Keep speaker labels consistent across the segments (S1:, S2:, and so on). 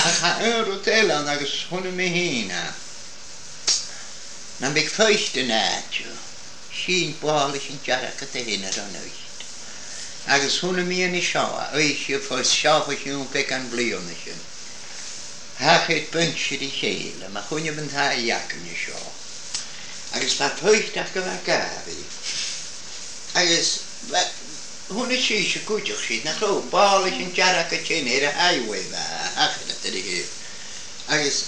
S1: Ach tá aon rud eile ann agus chonaic mé féin é. Ná beidh feist in áit, sín ball leis an dearg a théann ar an fheist. Agus chonaic mé anois seo, a oíche fá seo fá chiúin beagán bliana sin. Thacaigh bainse a chéile, mar choinnibh an t-aghaidh againne seo. Agus bheadh feist acu a Gabby. Agus bheadh, chonaic sí sa gcuideachta siad nach raibh ball leis an dearg a théann ar an highway bheadh a theacht ar a thaobh. Agus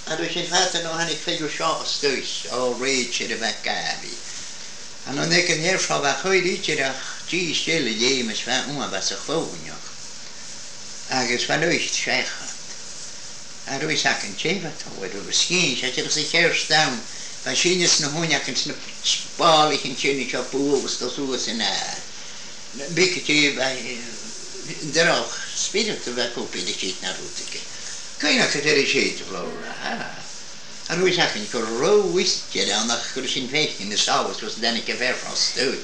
S1: a raibh sin fada nó tháinig fir seo istoíche á réiteach ar a bheadh Gabby. An an ag an aer seo bheadh chuir idir ach dís eile léim is bheadh uaim bheadh sa chlúmhneach. Agus bheadh an oíche seachaint. A raibh fhios acu an té bheadh tabhair agus scín sé siad sa chéir ann bheadh síneadh sna huain acu sna ballaí ansin anseo bualadh is dul suas in aer. Bíodh go dtí bheith droch spiorad a bheith acu bíodh siad ná rud aige. Caoin acu ar a siad a bhlóra. A raibh fhios acu go raibh uisce ann ach go raibh sin feicthe ina samhas was dtáinig a bheith fostú.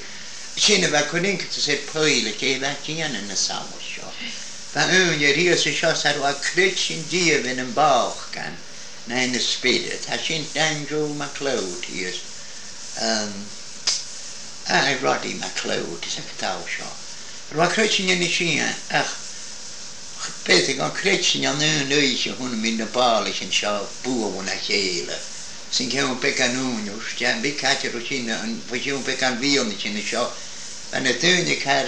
S1: Sin a bheadh cur iontas ar poill a cé bheadh déanamh na samhas seo. Ba aoinne thíos anseo sa raibh creid sin díobh ina mbáchan ná ina spiorad. Tá sin Andrew MacLeod thíos, aye, Roddy MacLeod is ea atá seo. Raibh creid sin ina sian ach b'fhéidir gan creid sin an aon oíche a chonaic mé na ballaí anseo bualadh a chéile. Sin ceann beagán uainn, bhí caite sin an ceann beagán mhian sin anseo. Bha na daoine car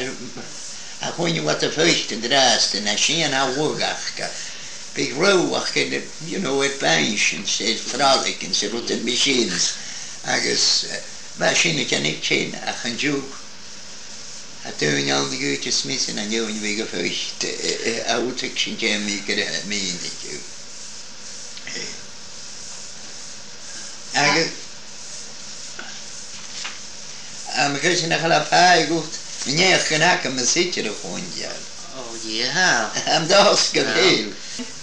S1: a choinne what the first and last and a sin a bhugach big roach at bench and said frolic and said rud machines agus bha sin a cheannaigh sin ach an Jew a daoine ann go Smith in an neoin bhí go first a útaigh sin déan go míniú. Agus Am chuir nach le feidhm ní go n-aca me sitir a chuan
S2: Oh yeah.
S1: Am dás go féil.